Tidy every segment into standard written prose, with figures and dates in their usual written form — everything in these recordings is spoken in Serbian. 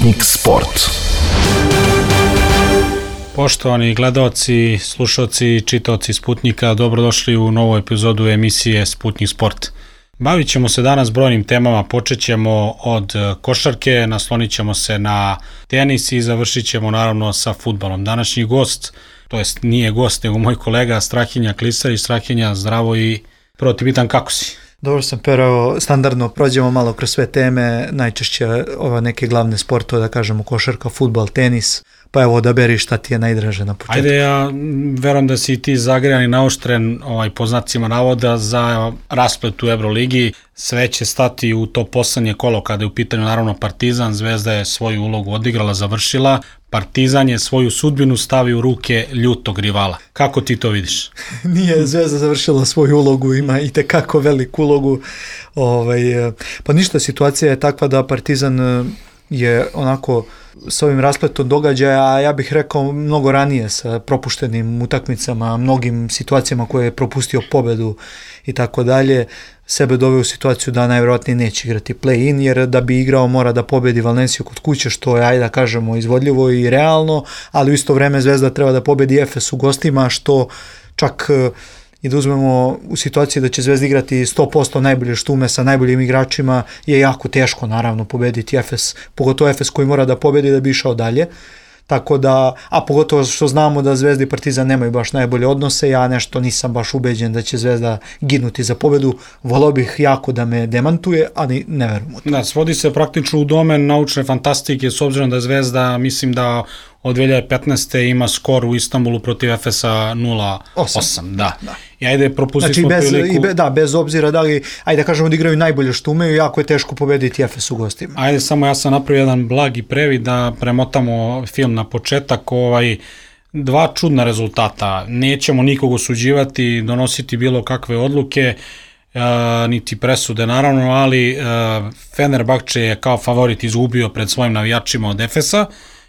Sputnik Sport. Poštovani gledaoci, slušaoci i čitaoci Sputnika, dobrodošli u novu epizodu emisije Sputnik Sport. Bavit ćemo se danas brojnim temama, počet ćemo od košarke, naslonit ćemo se na tenis i završit ćemo naravno sa fudbalom. Današnji gost, to jest nije gost, nego moj kolega Strahinja Klisarić. Strahinja, zdravo i prvo ti pitam kako si? Dobro sam, Pero, standardno prođemo malo kroz sve teme, najčešće neke glavne sportove, da kažemo košarka, fudbal, tenis, pa evo odaberi šta ti je najdraže na početku. Ajde, ja verujem da si ti zagrejan i naoštren po znacima navoda za rasplet u Euroligi. Sve će stati u to poslednje kolo kada je u pitanju naravno Partizan. Zvezda je svoju ulogu odigrala, završila. Partizan je svoju sudbinu stavio u ruke ljutog rivala. Kako ti to vidiš? Nije Zvezda završila svoju ulogu, ima i tekako veliku ulogu. Pa ništa, situacija je takva da Partizan je onako s ovim raspletom događaja, a ja bih rekao mnogo ranije sa propuštenim utakmicama, mnogim situacijama koje je propustio pobedu i tako dalje, sebe doveo u situaciju da najvjerojatnije neće igrati play-in, jer da bi igrao mora da pobedi Valenciju kod kuće, što je, ajde da kažemo, izvodljivo i realno, ali u isto vreme Zvezda treba da pobedi Efes u gostima, što čak i da uzmemo u situaciji da će Zvezda igrati 100% najbolje štume sa najboljim igračima, je jako teško naravno pobediti Efes, pogotovo Efes koji mora da pobedi da bi išao dalje. Tako da, a pogotovo što znamo da Zvezda i Partizan nemaju baš najbolje odnose, ja nešto nisam baš ubeđen da će Zvezda ginuti za pobedu, volao bih jako da me demantuje, ali ne verujem u to. Da, svodi se praktično u domen naučne fantastike, s obzirom da Zvezda, mislim da od 2015. ima skor u Istanbulu protiv Efesa 0-8. Da. I ajde, propustili smo priliku. Bez obzira da li, ajde da kažemo da igraju najbolje što umeju, jako je teško pobediti Efes u gostima. Ajde, samo ja sam napravio jedan blagi previd da premotamo film na početak. Dva čudna rezultata. Nećemo nikog osuđivati, donositi bilo kakve odluke, niti presude naravno, ali Fenerbahče je kao favorit izgubio pred svojim navijačima od Efesa.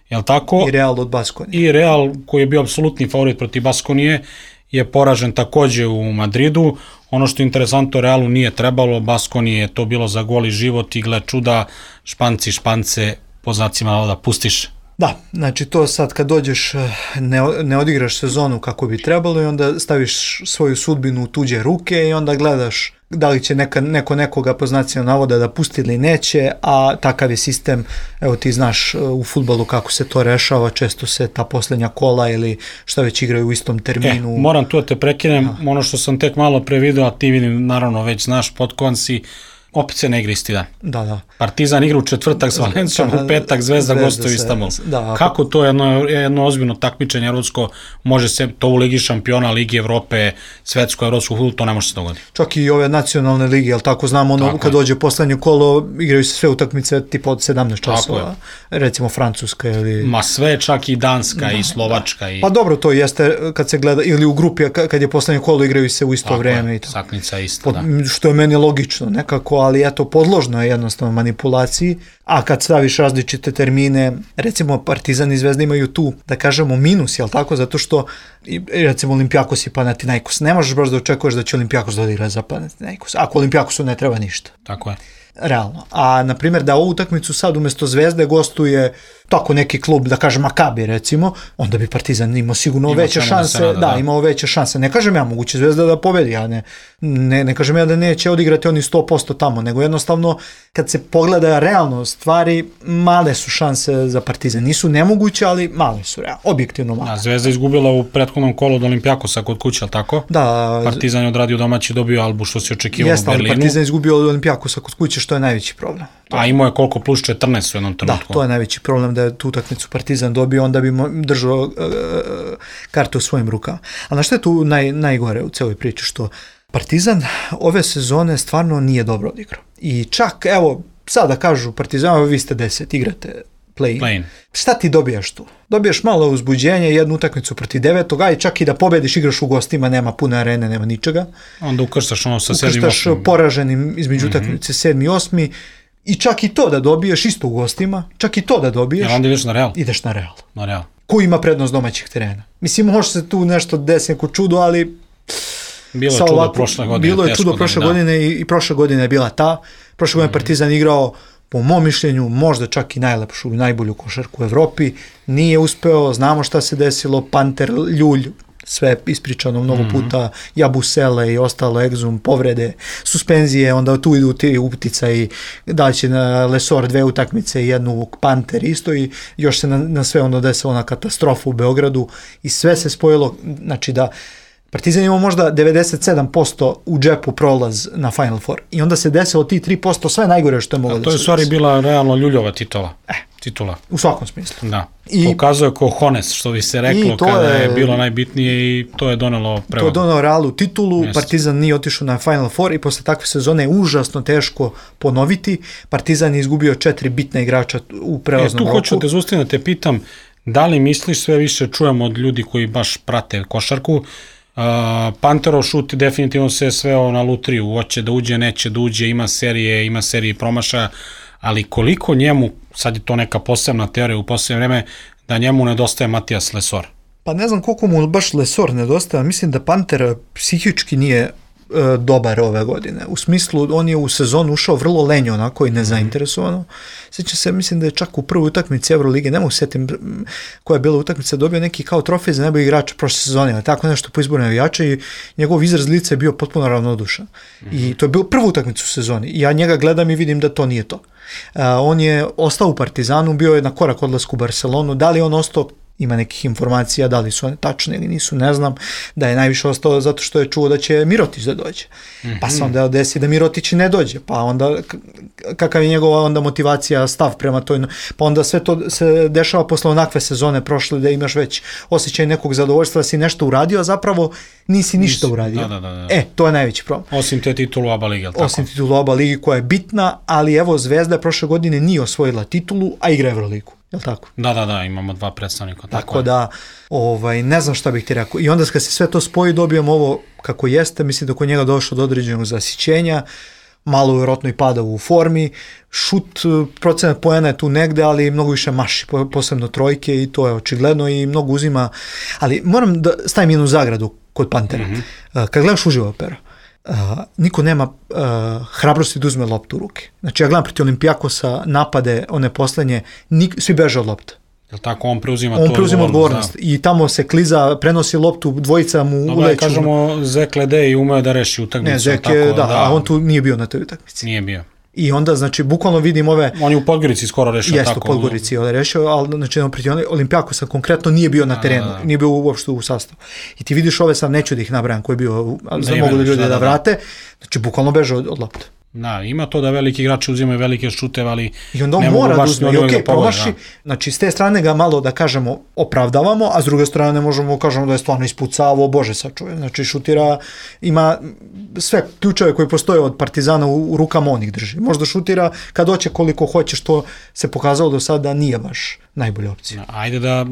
Jel tako? I Real od Baskonije. I Real, koji je bio apsolutni favorit protiv Baskonije, je poražen takođe u Madridu. Ono što je interesantno, Realu nije trebalo, Baskonije je to bilo za goli život i gle čuda, Španci Špance po znacima navoda pustiš. Da, znači to sad kad dođeš, ne odigraš sezonu kako bi trebalo i onda staviš svoju sudbinu u tuđe ruke i onda gledaš da li će neko nekoga po znacima navoda da pusti ili neće, a takav je sistem, evo ti znaš u fudbalu kako se to rešava, često se ta poslednja kola ili šta već igraju u istom terminu. Moram tu da te prekinem, ono što sam tek malo pre video, a ti vidim naravno već znaš potkovan si, opet se ne igra isti dan. Da. Partizan igra u četvrtak s Valencijom, u petak Zvezda gostuje u Istanbul. Kako to jedno ozbiljno takmičenje evropsko može se, to u Ligi šampiona, Ligi Evrope, svetsko, evropsko fudbal, to ne može se dogoditi. Čak i ove nacionalne lige, ali tako znamo, kad dođe poslednje kolo, igraju se sve utakmice tipa od 17 časova, recimo Francuska ili... Ma sve, čak i Danska i Slovačka. Pa dobro, to jeste kad se gleda, ili u grupi, kad je poslednje kolo, igraju se u isto vreme. Saknica isto, da. Što je meni logično nekako, ali eto, podložno je jednostavno manipulaciji, a kad staviš različite termine, recimo Partizan i Zvezda imaju tu, da kažemo, minus, jel tako, zato što recimo Olimpijakos i Panathinaikos, ne možeš baš da očekuješ da će Olimpijakos da odigra za Panathinaikos, ako Olimpijakosu ne treba ništa. Tako je. Realno. A, na primjer, da ovu utakmicu sad umesto Zvezde gostuje tako neki klub, da kažem Makabi recimo, onda bi Partizan imao sigurno veće šanse, imao veće šanse. Ne kažem ja, moguće Zvezda da pobedi, a ne kažem ja da neće odigrati oni 100% tamo, nego jednostavno kad se pogleda realno stvari, male su šanse za Partizan. Nisu nemoguće, ali male su, objektivno male. Zvezda izgubila u prethodnom kolu od Olimpijakosa kod kuće, ali tako? Da. Partizan je odradio domaći, dobio Albu, što se očekivalo u Berlinu. Partizan izgubio od Olimpijakosa kod kuće, što je najveći problem. A imao je koliko, plus 14 u jednom trenutku? Da, to je najveći problem, da je tu utakmicu Partizan dobio, onda bi držao karte u svojim rukama. A na što je tu najgore u celoj priči, što Partizan ove sezone stvarno nije dobro odigrao. I čak, evo, sada kažu Partizan, vi ste 10, igrate play-in. Šta ti dobijaš tu? Dobijaš malo uzbuđenja, jednu utakmicu protiv 9. Aj čak i da pobediš, igraš u gostima, nema pune arene, nema ničega. Onda ukrštaš ono sa 7. 8. Ukrštaš poraženim između utakmice 7. i 8. I čak i to da dobiješ isto u gostima, čak i to da dobiješ. Onda ideš na Real. Ideš na Real. Na Real. Ko ima prednost domaćih terena? Mislim, može se tu nešto desiti, neko čudo, ali... Bilo je čudo prošle godine. Bilo je čudo prošle godine i prošle godine je bila ta. Prošle godine Partizan igrao po mom mišljenju možda čak i najlepšu i najbolju košarku u Evropi, nije uspeo, znamo šta se desilo, Panter, Ljulj, sve ispričano mnogo puta, Jabusele i ostalo, Exum, povrede, suspenzije, onda tu idu ti uticaji, da će na Lesor 2 utakmice i jednu Panter isto i još se na sve ono desilo na katastrofu u Beogradu i sve se spojilo, znači da Partizan imao možda 97% u džepu prolaz na Final Four i onda se desilo ti 3% sve najgore što je moglo da se to je stvari bila realno Ljuljova titula. U svakom smislu. Da. I pokazuje kohones, što bi se reklo kada je bilo najbitnije i to je donelo prevagu. To je donelo Realu titulu, Partizan nije otišao na Final Four i posle takve sezone je užasno teško ponoviti. Partizan je izgubio 4 bitna igrača u prelaznom roku. Tu hoću te zaustaviti da te pitam, da li misliš, sve više čujemo od ljudi koji baš prate košarku, Panterov šut definitivno se sveo na lutriju, hoće da uđe, neće da uđe, ima serije promašaja, ali koliko njemu, sad je to neka posebna teorija u posebno vreme, da njemu nedostaje Matijas Lesor? Pa ne znam koliko mu baš Lesor nedostaje, mislim da Panter psihički nije dobar ove godine. U smislu, on je u sezonu ušao vrlo lenjo, onako i nezainteresovano. Sjećam se, mislim da je čak u prvoj utakmici Evrolige, ne mogu setim koja je bila utakmica, dobio neki kao trofej za najbolji igrač prošle sezone, ali tako nešto po izboru navijača i njegov izraz lica je bio potpuno ravnodušan. I to je bilo prvu utakmicu u sezoni. I ja njega gledam i vidim da to nije to. On je ostao u Partizanu, bio je na korak odlasku u Barcelonu. Da li on ostao, ima nekih informacija, da li su one tačne ili nisu, ne znam, da je najviše ostao zato što je čuo da će Mirotić da dođe. Pa se onda desi da Mirotić ne dođe, pa onda kakav je njegova onda motivacija, stav prema toj, pa onda sve to se dešava posle onakve sezone prošle da imaš već osjećaj nekog zadovoljstva da si nešto uradio, a zapravo nisi ništa uradio. Da. To je najveći problem. Osim te titulu ABA ligi, tako? Osim titulu ABA ligi koja je bitna, ali evo Zvezda prošle godine nije osvojila titulu, a igra Evroligu. Jel tako? Da, imamo 2 predstavnika. Tako da, ne znam šta bih ti rekao. I onda kad se sve to spoji, dobijemo ovo kako jeste, mislim da kod njega došlo do određenog zasićenja, malo vjerojatno i pada u formi, šut, procenat poena je tu negde, ali mnogo više maši, posebno trojke i to je očigledno i mnogo uzima, ali moram da stavim jednu zagradu kod Pantera. Kad gledaš uživo Pero, niko nema hrabrosti da uzme loptu u ruke. Znači ja gledam protiv Olimpijakosa napade, one poslednje, svi beže od lopte. Jel tako, on preuzima odgovornost. I tamo se kliza, prenosi loptu, dvojica mu uleću. Dobro, kažemo, Zek Ledej i umeo da reši utakmicu. Ne, Zek je, a on tu nije bio na toj utakmici. Nije bio. I onda, znači, bukvalno vidim ove... On je u Podgorici skoro rešio tako. Jeste, u Podgorici je rešio, ali znači, protiv Olimpijakosa konkretno nije bio na terenu, nije bio uopšte u sastavu. I ti vidiš ove, sam neću da ih nabrajam, koji je bio, mogu da ljudi da vrate, znači, bukvalno beže od lopte. Da, ima to da veliki igrači uzimaju velike šuteve, ali i onda on mora da uzme, i okej, promaši, znači s te strane ga malo da kažemo opravdavamo, a s druge strane možemo kažemo da je stvarno ispucavao, bože sačuvaj, znači šutira, ima sve ključeve koji postoje od Partizana u rukama, on ih drži, možda šutira kad hoće koliko hoće, što se pokazalo do sada nije baš najbolja opcija. Ajde da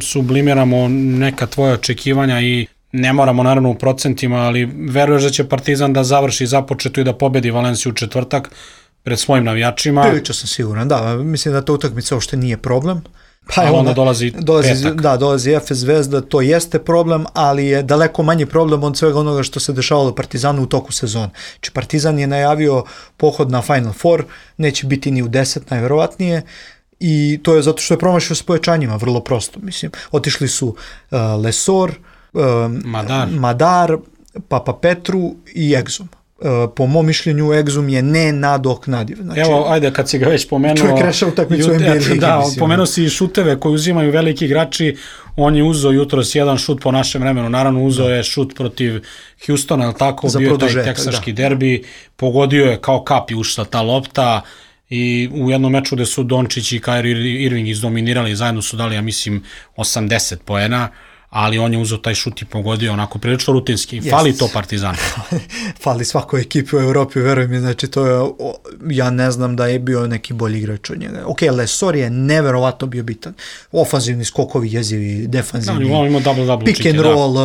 sublimiramo neka tvoja očekivanja i ne moramo naravno u procentima, ali veruješ da će Partizan da završi započeto i da pobedi Valenciju u četvrtak pred svojim navijačima? Prilično sam siguran, da. Mislim da ta utakmica uopšte nije problem. Pa onda dolazi petak. Da, dolazi Efes Zvezda, to jeste problem, ali je daleko manji problem od svega onoga što se dešavalo Partizanu u toku sezone. Znači Partizan je najavio pohod na Final Four, neće biti ni u 10 najverovatnije, i to je zato što je promašio s pojačanjima, vrlo prosto. Mislim, otišli su Lesor, Madar, Papa Petru i Exum. Po mom mišljenju Exum je nenadoknadiv. Znači, evo, ajde, kad si ga već pomenuo... Čovjek reša utakmicu NBA ligi. Da, pomenuo si i šuteve koji uzimaju veliki igrači. On je uzeo jutros jedan šut po našem vremenu. Naravno, uzeo je šut protiv Houstona, ali tako, bio taj teksaški derbi. Pogodio je kao kap i ušla ta lopta. I u jednom meču gde su Dončić i Kyrie Irving izdominirali, zajedno su dali, ja mislim, 80 poena, ali on je uzeo taj šut i pogodio onako prilično rutinski. Fali to Partizan. Fali svakoj ekipi u Evropi, veruj mi, znači to je, ja ne znam da je bio neki bolji igrač od njega. Ok, Lesor je neverovatno bio bitan. Ofanzivni skokovi, jezivi, defanzivni, pick and roll,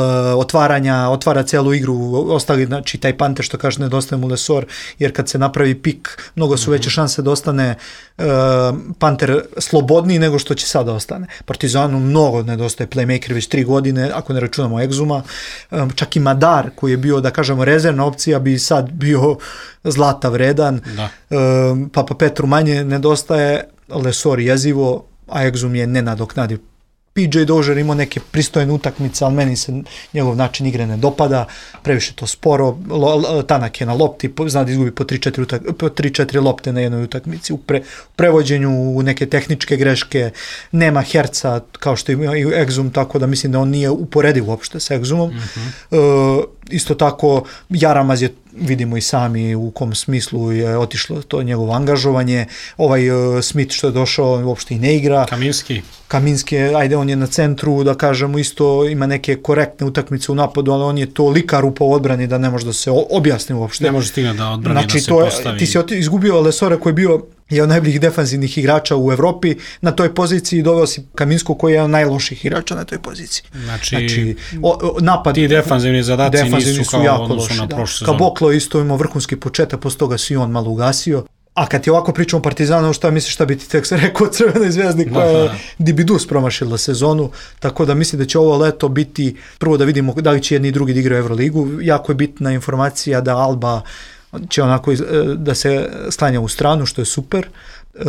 otvara celu igru, ostali, znači taj Panter što kaže nedostaje mu Lesor, jer kad se napravi pik, mnogo su veće šanse da ostane Panter slobodniji nego što će sada ostane. Partizanu mnogo nedostaje playmaker, već 3 godine godine, ako ne računamo Egzuma, čak i Madar koji je bio, da kažemo, rezervna opcija bi sad bio zlata vredan, Papa Petru manje nedostaje, Lesor jezivo, a Egzum je nenadoknadiv. PJ Dozier imao neke pristojne utakmice, ali meni se njegov način igre ne dopada, previše to sporo, tanak je na lopti, zna da izgubi po 3-4 lopte na jednoj utakmici, u prevođenju, u neke tehničke greške, nema herca kao što ima i Egzum, tako da mislim da on nije uporediv uopšte sa Egzumom. Isto tako, Jaramaz je, vidimo i sami u kom smislu je otišlo to njegovo angažovanje, Smith što je došao uopšte i ne igra. Kaminski, ajde, on je na centru, da kažemo, isto ima neke korektne utakmice u napadu, ali on je tolika rupa u odbrani da ne može da se objasni uopšte. Ne može stigne da odbrani, znači, da se postavi. Ti si izgubio Lesora koji je bio jedan od najboljih defanzivnih igrača u Evropi na toj poziciji, doveo si Kaminskog koji je jedan od najloših igrača na toj poziciji. Znači napad, ti defanzivni zadaci nisu kao jako odnosu na prošlu sezonu. Kaboklo isto imao vrhunski početak, posle toga si on malo ugasio. A kad ti ovako pričamo o Partizanu, šta misliš šta bi ti tek rekao o Crvenoj zvezdi koja je Dibidus promašila sezonu, tako da mislim da će ovo leto biti, prvo da vidimo da li će jedni i drugi da igraju Euroligu, jako je bitna informacija da Alba će onako da se sklanja u stranu, što je super,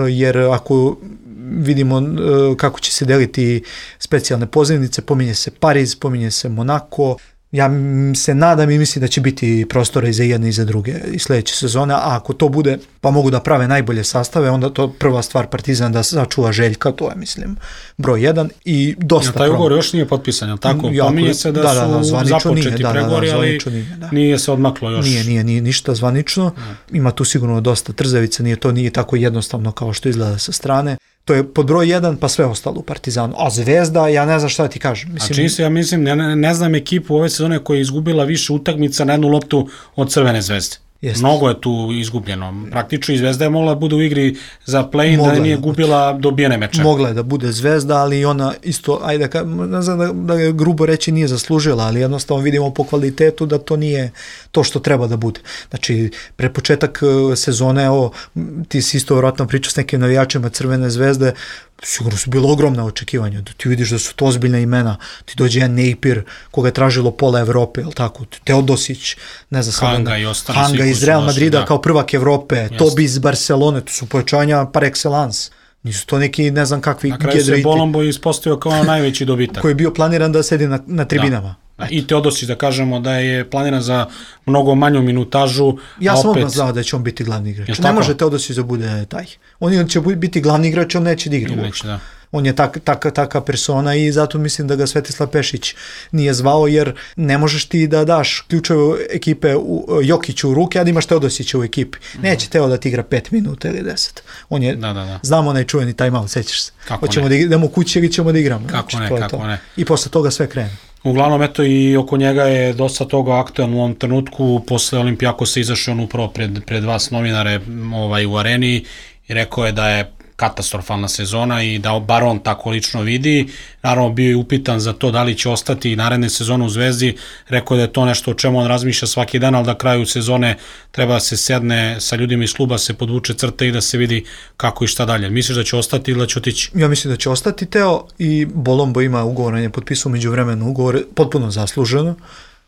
jer ako vidimo kako će se deliti specijalne pozivnice, pominje se Pariz, pominje se Monako, ja se nadam i mislim da će biti prostora i za jedne i za druge i sledeće sezone, a ako to bude, pa mogu da prave najbolje sastave, onda to prva stvar Partizan da sačuva Željka, to je, mislim, broj 1 i dosta taj ugovor još nije potpisan, jel tako? Pominje se da su započeti pregovori, ali nije se odmaklo još. Nije ništa zvanično, ima tu sigurno dosta trzavica, nije tako jednostavno kao što izgleda sa strane. To je pod broj 1, pa sve ostalo u Partizanu. A Zvezda, ja ne znam šta ti kažem. Ja mislim, ne znam ekipu ove sezone koja je izgubila više utakmica na jednu loptu od Crvene zvezde. Mnogo je tu izgubljeno. Praktično i Zvezda je mogla da bude u igri za play-in, da nije gubila dobijene meče. Mogla je da bude Zvezda, ali ona isto, ajde, ne znam da je grubo reći nije zaslužila, ali jednostavno vidimo po kvalitetu da to nije to što treba da bude. Znači, pre početak sezone, ti si isto vjerojatno pričao s nekim navijačima Crvene zvezde, sigurno su bilo ogromna očekivanja, da ti vidiš da su to ozbiljna imena, ti dođe jedan Napier koga je tražilo pola Evrope, jel tako, Teodosić, ne znam, Hanga iz Real Madrida kao prvak Evrope, Tobi iz Barcelone, to su pojačanja par excellence. Nisu to neki, ne znam kakvi gedriti. Na kraju se Bolombo ispostavio kao najveći dobitak. Koji je bio planiran da sedi na tribinama. I Teodosić, da kažemo da je planiran za mnogo manju minutažu. Ja sam odmah znao da će on biti glavni igrač. Ne može Teodosić da bude taj. On će biti glavni igrač, on neće da igra uopšte. On je taka persona i zato mislim da ga Svetislav Pešić nije zvao, jer ne možeš ti da daš ključeve ekipe Jokiću u ruke, a da imaš Teodosića u ekipi. Neće Teo da ti igra 5 minuta ili 10. On je, znamo onaj čuveni timeout, sećaš se. Hoćemo da idemo kući ili ćemo da igramo. Kako ne. I posle toga sve krene. Uglavnom, eto, i oko njega je dosta toga aktualno u ovom trenutku. Posle Olimpijakosa izašao on upravo pred vas novinare u areni i rekao je da je katastrofalna sezona i da bar on tako lično vidi. Naravno, bio je upitan za to da li će ostati i naredne sezone u Zvezdi. Rekao je da je to nešto o čemu on razmišlja svaki dan, ali da kraju sezone treba da se sedne sa ljudima iz kluba, se podvuče crte i da se vidi kako i šta dalje. Misliš da će ostati ili da će otići? Ja mislim da će ostati Teo i Bolombo ima ugovor, on je potpisao međuvremenu ugovor, potpuno zasluženo.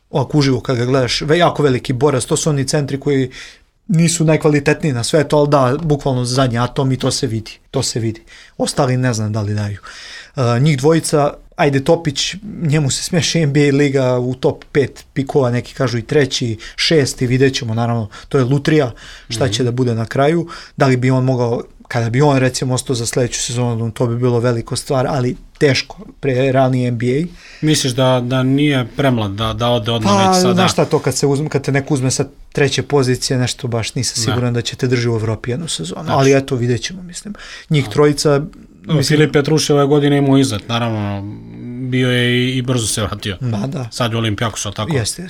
Ovako uživo kad ga gledaš, jako veliki borac, to su oni centri koji nisu najkvalitetniji na svetu, ali da, bukvalno zadnji atom i to se vidi. Ostali ne znam da li daju. Njih dvojica, ajde Topić, njemu se smeši NBA liga u top 5 pikova, neki kažu i 3, 6, vidjet ćemo, naravno, to je lutrija, šta će da bude na kraju, da li bi on mogao, kada bi on recimo ostao za sledeću sezonu, to bi bilo veliko stvar, ali teško, pre realni NBA. Misliš da nije premlad, da ode odmah već sada? Pa, znaš šta to, kad te neko uzme sa 3. pozicije, nešto baš nisam siguran da će te drži u Evropi jednu sezonu, ali eto, vidjet ćemo, mislim. Njih trojica... Filip Petrušev ove godine imao izlet, naravno, bio je i brzo se vratio. Da. Sad je Olimpijakos, tako? Jeste.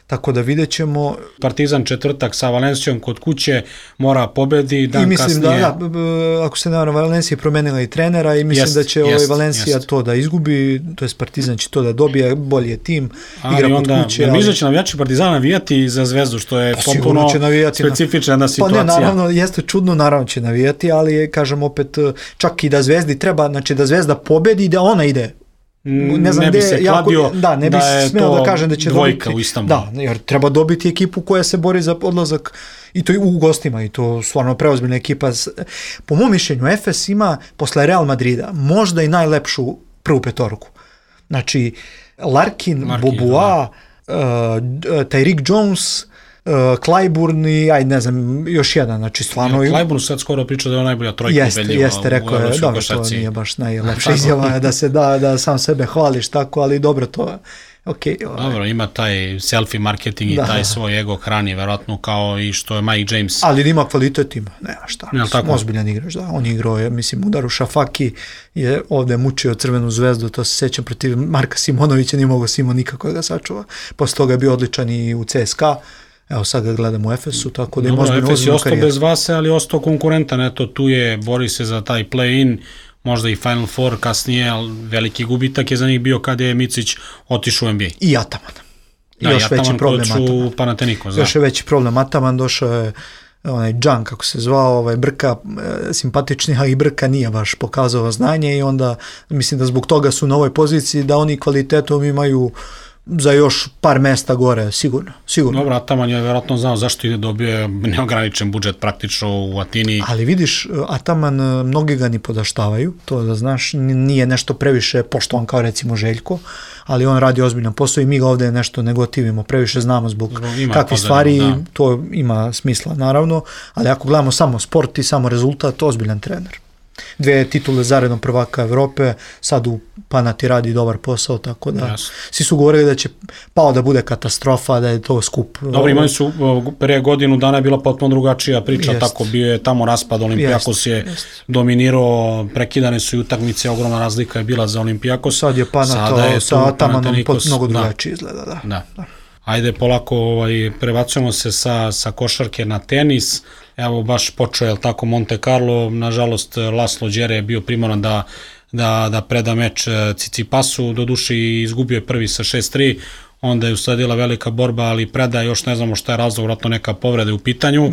Tako da vidjet ćemo... Partizan četvrtak sa Valencijom kod kuće, mora pobedi, dan kasnije... I mislim da, ako se naravno, Valencija je promenila i trenera i mislim da će Valencija to da izgubi, to je Partizan će to da dobije, bolji je tim, igra kod kuće. Ali misle će navijači Partizana navijati za Zvezdu, što je potpuno specifična situacija. Pa ne, naravno, jeste čudno, naravno će navijati, ali kažem opet, čak i da Zvezdi treba, znači da Zvezda pobedi i da ona ide ne znam ne bi se kladio ne bi smeo da kažem da će dvojka dobiti, u Istanbulu. Da, jer treba dobiti ekipu koja se bori za odlazak i to u gostima i to stvarno preozbiljna ekipa. Po mom mišljenju Efes ima posle Real Madrida možda i najlepšu prvu petorku. Znači Larkin, Bobois, Tyreek Jones, Clyburn i ajde ne znam još jedan, znači stvarno... Clyburn sad skoro priča da je najbolja trojka ubedljiva. Jeste, rekao je, dobro, to nije baš najlepša izjava da se da sam sebe hvališ tako, ali dobro to je. Okay, dobro, ima taj selfie marketing i taj svoj ego hrani, verovatno kao i što je Mike James. Ali ima kvalitet, ima, nema šta, ozbiljan igrač, da, on je igrao, mislim, udaru Šafaki, je ovde mučio Crvenu zvezdu, to se sećam protiv Marka Simonovića, nije mogao Simon nikako da ga sačuva, posle toga je bio odličan i u CSKA, evo sad ga gledam u Efesu, tako da ima ozbiljnu karijeru. Efes je ostao bez vase, ali ostao konkurentan, eto tu je, bori se za taj play-in, možda i Final Four kasnije, ali veliki gubitak je za njih bio kada je Micić otišao u NBA. I Ataman. Da, još veći problem Ataman. Panathinaikos, još je veći problem Ataman, došao je onaj Džan, kako se zvao, Brka, simpatični, a i Brka nije baš pokazao znanje i onda mislim da zbog toga su na ovoj poziciji, da oni kvalitetom imaju za još par mesta gore, sigurno. Dobro, Ataman je verovatno znao zašto je dobio neograničen budžet praktično u Atini. Ali vidiš, Ataman, mnogi ga ni podaštavaju, to da znaš, nije nešto previše poštovan kao recimo Željko, ali on radi ozbiljan posao i mi ga ovde nešto ne gotivimo, previše znamo zbog kakvih stvari, to ima smisla naravno, ali ako gledamo samo sport i samo rezultat, ozbiljan trener. 2 titule zaredom prvaka Evrope, sad u Panati radi dobar posao, tako da svi su govorili da će pao da bude katastrofa, da je to skup. Dobro, imali su, pre godinu dana je bila potpuno drugačija priča, tako bio je tamo raspad, Olimpijakos je dominirao, prekidane su i utakmice, ogromna razlika je bila za Olimpijakos. Sad je Panato sa Atamanom mnogo drugačije izgleda. Da. Ajde, polako prebacujemo se sa košarke na tenis. Evo, baš počeo je tako Monte Carlo, nažalost Laslo Đere je bio primoran da preda meč Tsitsipasu, doduše izgubio je prvi sa 6-3, onda je usledila velika borba, ali preda još ne znamo šta je razlog, vratno neka povreda u pitanju.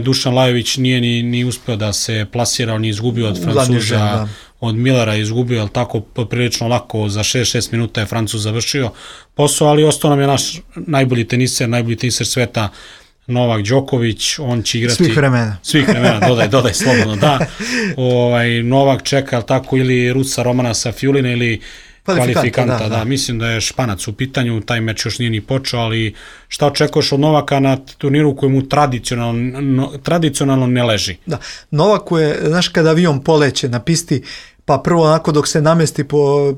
Dušan Lajović nije ni uspeo da se plasira, on je izgubio od Francuza, od Millera izgubio, ali tako prilično lako, za 6 minuta je Francuz završio posao, ali ostao nam je naš najbolji teniser sveta, Novak Đoković, on će igrati... Svih vremena, dodaj slobodno, da. Novak čeka, tako, ili Rusa Romana Safiulina ili kvalifikanta, da. Mislim da je Španac u pitanju, taj meč još nije ni počeo, ali šta očekuješ od Novaka na turniru koji mu tradicionalno ne leži? Da, Novaku je, znaš, kada avion poleće na pisti, pa prvo onako dok se namesti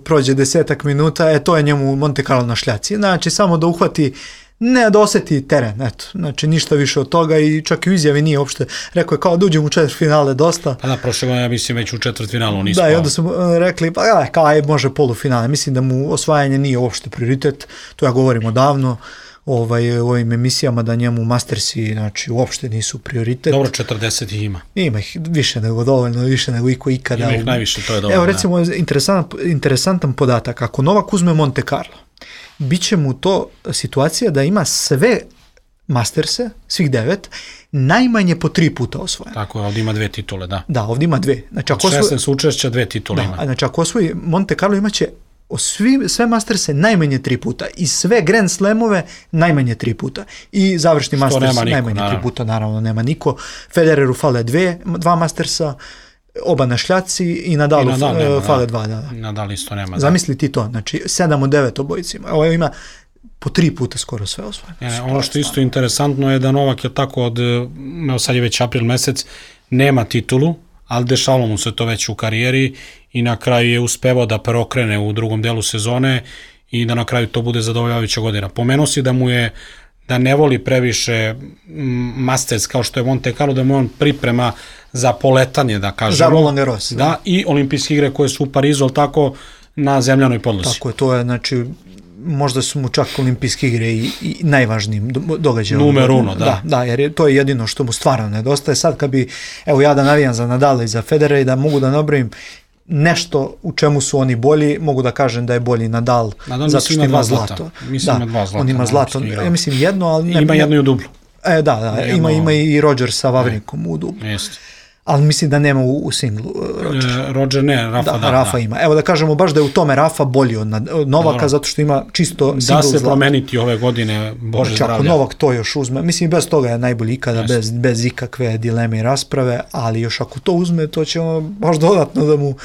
prođe 10 minuta, to je njemu Monte Carlo na šljaci. Znači, samo da uhvati, ne da oseti teren, eto, znači ništa više od toga i čak i u izjavi nije uopšte, rekao je kao da uđem u četvrtfinale dosta. Pa da, prošle godine ja mislim već u četvrtfinalu nismo. Da, i onda su rekli, pa kao može polufinale, mislim da mu osvajanje nije uopšte prioritet, to ja govorim odavno, u ovim emisijama da njemu Mastersi, znači, uopšte nisu prioritet. Dobro, 40 ih ima. Ima ih više nego dovoljno, više nego iko ikada. Ima ih najviše, to je dovoljno. Evo, recimo, interesantan podatak, ako Novak uzme Monte Carlo, biće mu to situacija da ima sve Masterse, svih 9, najmanje po 3 puta osvojene. Tako je, ovdje ima 2 titule, da. Da, ovdje ima 2. Znači, 16 učešća, 2 titule ima. Znači, ako osvoji Monte Carlo, imaće sve Masterse najmanje 3 puta i sve Grand Slamove najmanje 3 puta i završni Masters najmanje 3 puta, naravno nema niko. Federeru fale 2 Mastersa, oba na šljaci i Nadalu fale 2. Da. Nadal isto nema. Zamisli ti to, znači 7 od 9 obojicima. Ovo ima po 3 puta skoro sve osvojene. Ono što isto interesantno je da Novak je tako sad je već april mesec, nema titulu, ali dešavalo mu se to već u karijeri i na kraju je uspevao da preokrene u drugom delu sezone i da na kraju to bude zadovoljavajuća godina. Pomenuo si da ne voli previše Masters kao što je Monte Carlo, da mu on priprema za poletanje, da kažemo. Za Roland Garros. Da, i olimpijske igre koje su u Parizu, ali tako na zemljanoj podlozi. Tako je, to je, znači, možda su mu čak olimpijske igre i najvažnijim događajom. Numer 1, da. Da, jer to je jedino što mu stvarno nedostaje. Sad kad bi, evo ja da navijam za Nadala i za Federera i da mogu da nabrojim nešto u čemu su oni bolji, mogu da kažem da je bolji Nadal zato što ima zlato. Mislim ima 2 zlata. On ima zlato, ja mislim jedno, ali... Ima jedno i u dublu. Da, ima i Rodgers sa Vavrinkom u dublu. Jeste. ali mislim da nema u singlu Roger. Roger ne, Rafa da. Rafa ima. Evo da kažemo baš da je u tome Rafa bolji od Novaka, dobro, zato što ima čisto singl. Da se promeniti ove godine, Bože zdravlja. Ako Novak to još uzme, mislim bez toga je najbolji ikada, bez ikakve dileme i rasprave, ali još ako to uzme, to će ono baš dodatno da mu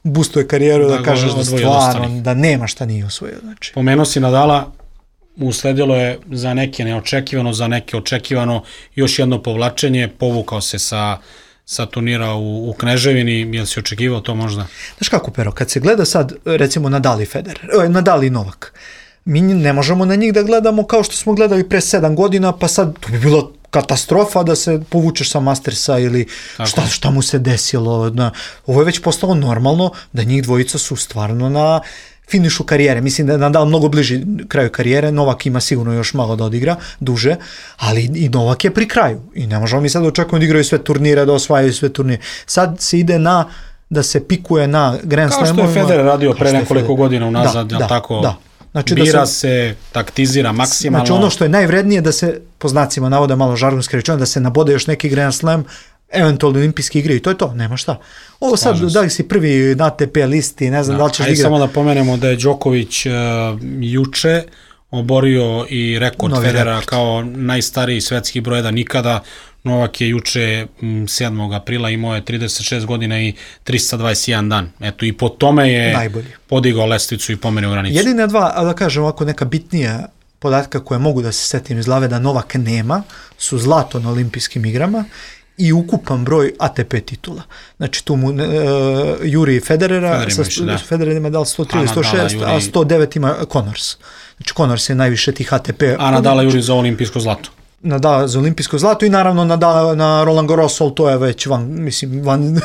boostuje karijeru, da kažeš da stvarno, da nema šta nije osvojio. Znači. Pomenuo si Nadala, usledilo je za neke neočekivano, za neke očekivano još jedno povlačenje, povukao se sa turnira u Kneževini, jel si očekivao to možda? Znaš kako, Pero, kad se gleda sad, recimo, Nadal i Federer, Nadal i Novak, mi ne možemo na njih da gledamo kao što smo gledali pre 7 godina, pa sad to bi bilo katastrofa da se povučeš sa Mastersa ili šta mu se desilo. Ovo je već postalo normalno da njih dvojica su stvarno na finišu karijere. Mislim da je Nadal mnogo bliži kraju karijere, Novak ima sigurno još malo da odigra, duže, ali i Novak je pri kraju. I ne možemo mi sad očekujemo da igraju sve turnire, da osvajaju sve turnire. Sad se ide da se pikuje na Grand Slamovima. Kao što je Federer radio pre nekoliko godina unazad, tako? Znači bira se, taktizira maksimalno. Znači ono što je najvrednije da se, po znacima navoda malo žargonski rečeno, da se nabode još neki Grand Slam, eventualno olimpijski igre i to je to, nema šta. Ovo sad, da li si prvi na ATP listi, ne znam da li ćeš igrati. Samo da pomenemo da je Đoković juče oborio i rekord Federera kao najstariji svetski broj 1 nikada. Novak je juče 7. aprila imao je 36 godina i 321 dan. Eto, i po tome je najbolji podigao lestvicu i pomerio granicu. Jedine dva, a da kažem ovako neka bitnija podatka koje mogu da se setim iz glave da Novak nema, su zlato na olimpijskim igrama i ukupan broj ATP titula. Znači tu mu Juri Federera, Federer ima dal 103, 106, a 109 ima Connors. Znači Connors je najviše tih ATP. A Nadala Juri za olimpijsko zlato. Nadala za olimpijsko zlato i naravno Nadala na Roland Garros, ali to je već van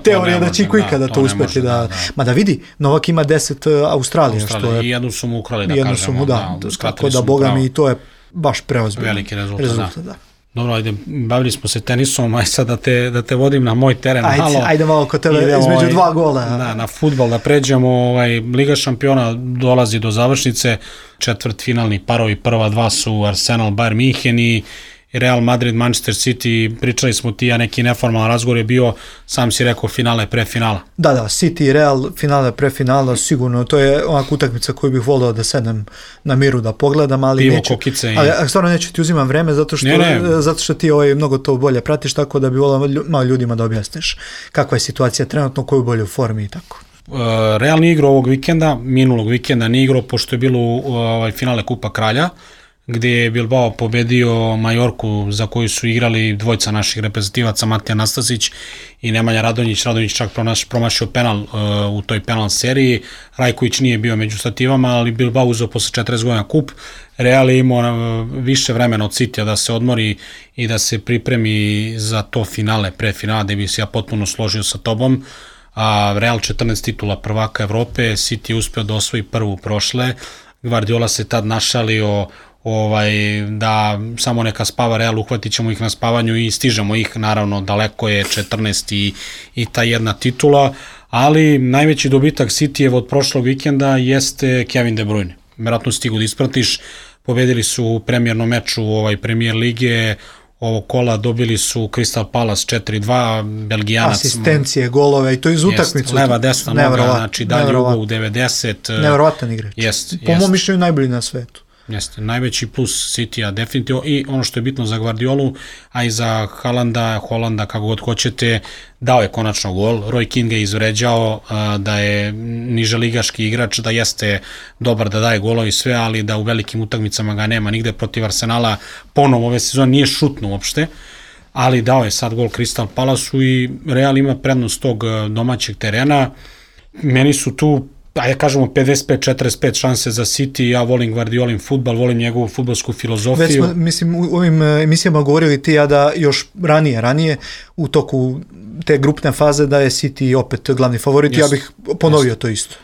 teorija da će ikada to uspeti da... Ma da vidi, Novak ima 10 Australija, što je... I jednu su mu ukrali, da kažemo. Tako da, boga mi, to je baš preozbiljno. Veliki rezultat, da. Dobro, ajde, bavili smo se tenisom, aj sad da te vodim na moj teren malo. Ajde malo kod tebe između 2 gola. Da, na fudbal da pređemo, Liga šampiona dolazi do završnice, četvrtfinalni parovi, prva dva su Arsenal, Bayern München i Real Madrid, Manchester City, pričali smo ti, a neki neformalan razgovor je bio, sam si rekao finale, prefinala. Da, City i Real, finale, prefinala, sigurno, to je onaka utakmica koju bih volio da sednem na miru da pogledam, ali pivo, neću. Kokice Ali stvarno neću ti uzimam vreme, zato što ti mnogo to bolje pratiš, tako da bi volio malo ljudima da objasniš kakva je situacija trenutno, koju bolje u formi i tako. Real nije igrao ovog vikenda, minulog vikenda nije igrao, pošto je bilo finale Kupa Kralja, gdje je Bilbao pobedio Majorku za koju su igrali dvojica naših reprezentativaca, Matija Nastasić i Nemanja Radonjić. Radonjić čak promašio penal u toj penal seriji. Rajković nije bio među stativama, ali Bilbao uzeo posle 40 godina kup. Real je imao više vremena od Citya da se odmori i da se pripremi za to finale, prefinale, da bi se ja potpuno složio sa tobom. Real 14 titula prvaka Evrope, City je uspio da osvoji prvu prošle. Guardiola se tad našalio da samo neka spava Real, uhvatit ćemo ih na spavanju i stižemo ih, naravno daleko je 14 i ta jedna titula, ali najveći dobitak Cityjev od prošlog vikenda jeste Kevin De Bruyne. Vjerojatno stigu da ispratiš, pobedili su u premijernom meču Premier lige, ovog kola dobili su Crystal Palace 4-2, Belgijanac. Asistencije, golove i to iz utakmicu. Leva, desna noga, znači dalje ugao u 90. Neverovatan igrač. Po mom mišljenju najbolji na svetu. Jeste, najveći plus Citya definitivno i ono što je bitno za Guardiolu, a i za Holanda, kako god hoćete, dao je konačno gol. Roy Keane je izvređao da je niželigaški igrač, da jeste dobar da daje golove i sve, ali da u velikim utakmicama ga nema nigde. Protiv Arsenala ponovo ove sezone nije šutno uopšte, ali dao je sad gol Crystal Palaceu i Real ima prednost tog domaćeg terena. Meni su tu kažemo 55-45 šanse za City, ja volim Guardiolin fudbal, volim njegovu fudbalsku filozofiju. Već smo, mislim, u ovim emisijama govorili ti ja da još ranije u toku te grupne faze da je City opet glavni favorit, ja bih ponovio to isto.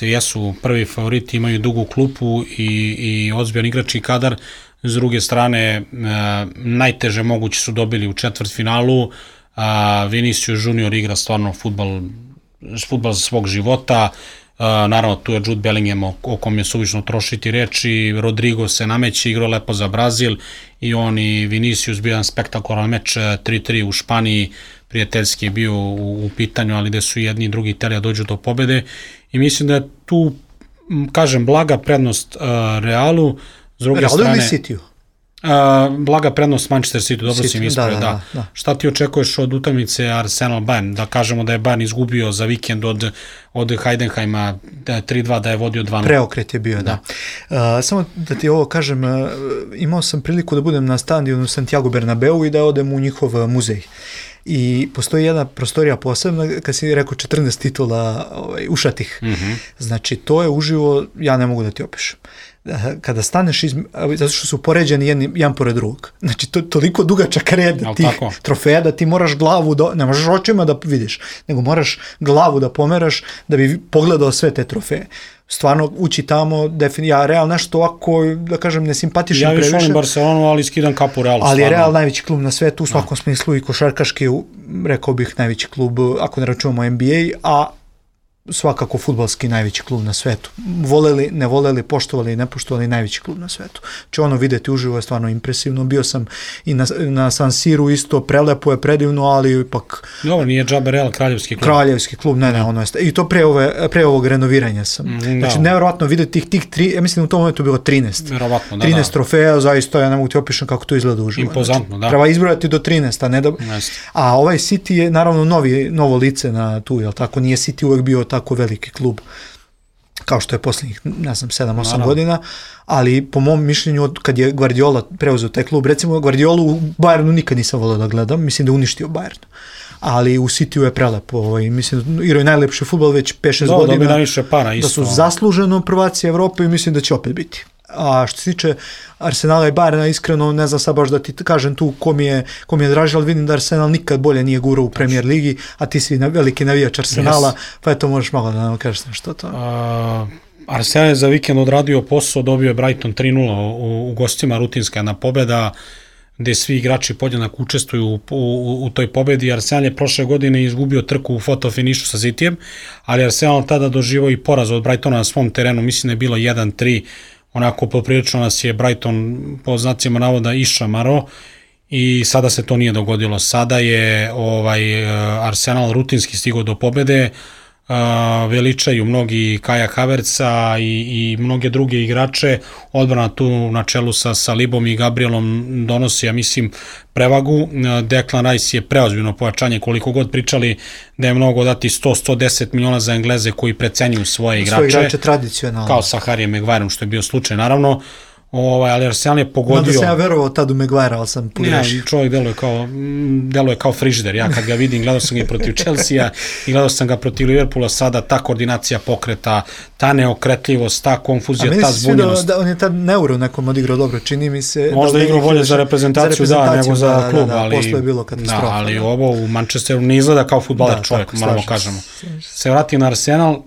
Jesu prvi favoriti, imaju dugu klupu i ozbiljan igrački kadar, s druge strane najteže moguće su dobili u četvrtfinalu, Vinicius Junior igra stvarno fudbal svog života. Naravno tu je Jude Bellingham o kom je suvišno trošiti reči, Rodrigo se nameće, igrao lepo za Brazil i on i Vinicius bio jedan spektakularan meč 3-3 u Španiji, prijateljski je bio u pitanju, ali gde su jedni i drugi hteli da dođu do pobede i mislim da je tu, kažem, blaga prednost Realu, s druge Realu strane... ili Cityu? Blaga prednost Manchester City, dobro si mi ispravio, da. Šta ti očekuješ od utakmice Arsenal-Bayern? Da kažemo da je Bayern izgubio za vikend od Heidenheima 3-2, da je vodio 2-0. Preokret je bio, da. Samo da ti ovo kažem, imao sam priliku da budem na stadionu Santiago Bernabeu i da odem u njihov muzej. I postoji jedna prostorija posebna, kad si rekao 14 titula ušatih. Znači, to je uživo, ja ne mogu da ti opišem. Kada staneš, zato što su poređeni jedan pored drugog. Znači, to je toliko dugačak red tih trofeja da ti moraš glavu, ne možeš očima da vidiš, nego moraš glavu da pomeraš da bi pogledao sve te trofeje. Stvarno, ući tamo, ja Real nešto ovako, da kažem, nesimpatičan previše. Ja više volim Barcelonu, ali skidam kapu Realu. Ali je Real najveći klub na svetu, u svakom smislu i košarkaški, rekao bih, najveći klub, ako ne računamo NBA, a svakako fudbalski najveći klub na svetu. Voleli, ne voleli, poštovali i ne poštovali, najveći klub na svetu. Če ono videti uživo je stvarno impresivno. Bio sam i na San Siru isto, prelepo je, predivno, ali ipak... Dobro, nije džabe Real kraljevski klub. Kraljevski klub, ne, ono je... I to pre ovog renoviranja sam. Znači, nevjerojatno videti tih tri, ja mislim u tom momentu bilo 13. Verovatno, 13 trofeja, zaista, ja ne mogu ti opišem kako to izgleda uživo. Impozantno, da. Treba izbrojati do 13, a ne da... A ovaj City je naravno novo lice na tu, jel tako? Nije City uvek bio tako veliki klub kao što je posljednjih, ne znam, 7-8 godina, ali po mom mišljenju kad je Guardiola preuzeo taj klub, recimo Guardiolu u Bayernu nikad nisam volio da gledam, mislim da uništio Bayern, ali u Cityu je prelepo, mislim da igraju najlepši fudbal već 5-6 godina, da su zasluženo prvaci Evrope i mislim da će opet biti. A što se tiče Arsenala i Bayerna, iskreno ne znam sad baš da ti kažem tu ko mi je draži, ali vidim da Arsenal nikad bolje nije gurao u Premier Ligi, a ti si veliki navijač Arsenala, pa eto možeš malo da nam kažeš nešto to. Arsenal je za vikend odradio posao, dobio je Brighton 3-0 u gostima, rutinska jedna pobeda, gde svi igrači podjednako učestvuju u toj pobedi. Arsenal je prošle godine izgubio trku u fotofinišu sa Cityjem, ali Arsenal tada doživao i poraz od Brightona na svom terenu, mislim da je bilo 1-3, onako poprilično nas je Brighton po znacima navoda išamaro i sada se to nije dogodilo. Sada je Arsenal rutinski stigao do pobede, veličaju mnogi Kaja Havertza i mnoge druge igrače, odbrana tu na čelu sa Salibom i Gabrielom donosi, ja mislim, prevagu. Declan Rice je preozbiljno pojačanje, koliko god pričali da je mnogo dati 100-110 miliona za Engleze koji precenjuju svoje igrače tradicionalno. Kao sa Harryjem Maguireom, što je bio slučaj, naravno. Ali Arsenal je pogodio... Onda sam ja verovao tad u Maguire, ali sam pogrešio. Ne, čovjek deluje kao frižider. Ja kad ga vidim, gledao sam ga i protiv Chelsea i gledao sam ga protiv Liverpoola, sada ta koordinacija pokreta, ta neokretljivost, ta konfuzija, ta zbunjenost. A meni se sviđa da on je tad Neuro nekom odigrao dobro, čini mi se... Možda igrao bolje za reprezentaciju, nego za klub, ali... Posle je bilo katastrofa. Da, ali ovo u Manchesteru ne izgleda kao fudbaler čovjek, moramo kažemo. Se vrati na Arsenal...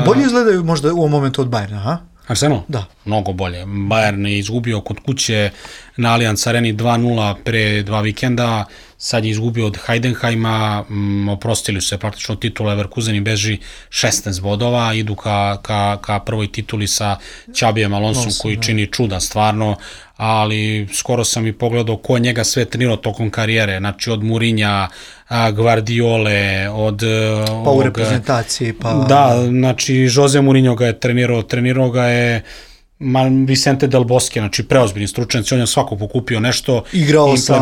Bolje izgledaju možda u ovom momentu od Bayerna, ha? Arsenal? Da. Mnogo bolje. Bayern je izgubio kod kuće na Allianz Areni 2-0 pre 2 vikenda, sad je izgubio od Heidenheima, oprostili su se praktično titula, Leverkusen i beži 16 bodova, idu ka prvoj tituli sa Xabijem Alonsom koji čini čuda stvarno, ali skoro sam i pogledao ko njega sve trenirao tokom karijere, znači od Mourinha, Guardiole, od... Pa u reprezentaciji, pa... Da, znači Jose Mourinho ga je trenirao ga je Vicente Del Bosque, znači preozbiljni stručnjaci, on je svako pokupio nešto, igrao sa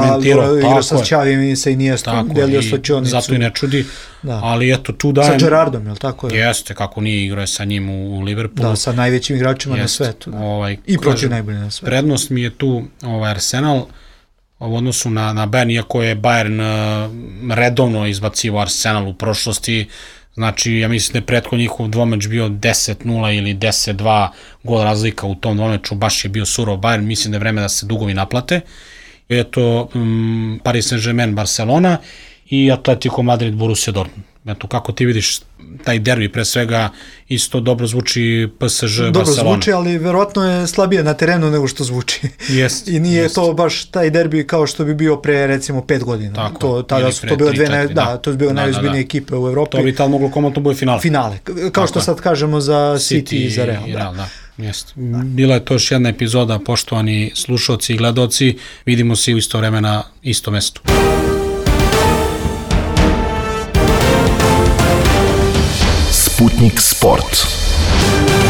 Xavijem i sa Iniestom, delio slačionicu. Zato i ne čudi, ali eto tu dajem... Sa Gerardom, je li tako? Jeste, kako nije igrao sa njim u Liverpoolu. Da, sa najvećim igračima na svetu. I protiv najbolji na svetu. Prednost mi je tu Arsenal u odnosu na Bayern, iako je Bayern redovno izbacivo Arsenal u prošlosti. Znači, ja mislim da je pretko njihov dvomeč bio 10-0 ili 10-2 gol razlika u tom dvomeču, baš je bio surov Bayern, mislim da je vreme da se dugovi naplate. Eto, Paris Saint-Germain, Barcelona i Atletico Madrid, Borussia Dortmund. Eto, kako ti vidiš taj derbi, pre svega isto dobro zvuči PSG, Barcelona. Dobro zvuči, ali verovatno je slabije na terenu nego što zvuči. I nije to baš taj derbi kao što bi bio pre recimo 5 godina. Tako, tada su to bilo to je bio najozbiljnije ekipe u Evropi. To bi tad moglo komotno bude finale. Finale, kao što sad kažemo za City i za Real. Bila je to još jedna epizoda, poštovani slušalci i gledaoci. Vidimo se u isto vreme na istom mestu. Sputnik Sport.